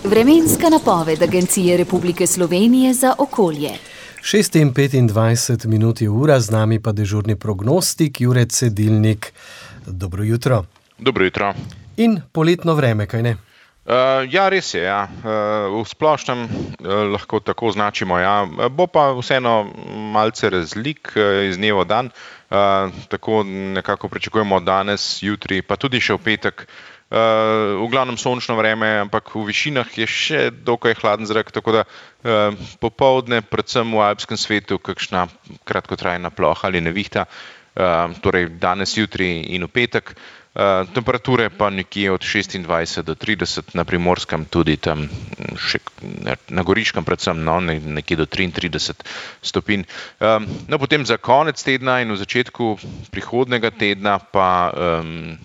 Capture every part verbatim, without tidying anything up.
Vremenska napoved Agencije Republike Slovenije za okolje. šest in petindvajset minut je ura, z nami pa dežurni prognostik Jure Cedilnik. Dobro jutro. Dobro jutro. In poletno vreme, kaj ne? Uh, ja, res je, ja. Uh, v splošnem uh, lahko tako označimo, ja. Bo pa vseeno malce razlik uh, iz dneva v dan. Uh, tako nekako pričakujemo danes, jutri, pa tudi še v petek. Uh, v glavnem sončno vreme, ampak v višinah je še dokaj hladen zrak, tako da uh, popoldne, predvsem v alpskem svetu, kakšna kratkotrajna ploha ali nevihta, uh, torej danes, jutri in v petek. Uh, temperature pa nekje od šestindvajset do trideset, na Primorskem tudi tam, še, na Goriškem predvsem, no, nekje do triintrideset stopinj. Um, no, potem za konec tedna in v začetku prihodnega tedna pa um,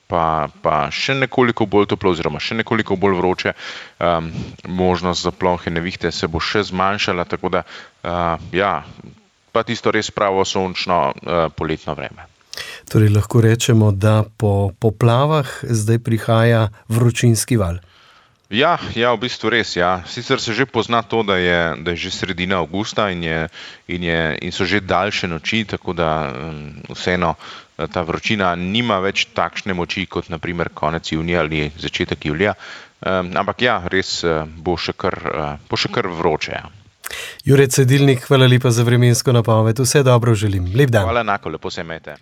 Pa, pa še nekoliko bolj toplo oziroma še nekoliko bolj vroče. Um, možnost za plohe nevihte se bo še zmanjšala, tako da uh, ja, pa tisto res pravo sončno uh, poletno vreme. Torej lahko rečemo, da po poplavah zdaj prihaja vročinski val. Ja, ja, v bistvu res, ja. Sicer se že pozna to, da je, da je že sredina avgusta in, je, in, je, in so že daljše noči, tako da um, vseeno ta vročina nima več takšne moči kot na primer konec junija ali začetek julija. Um, ampak ja, res uh, bo še kar, uh, bo še kar vroče. Ja. Jure Cedilnik, hvala lepa za vremensko napoved. Vse dobro želim. Lep dan. Hvala enako, lepo se imejte.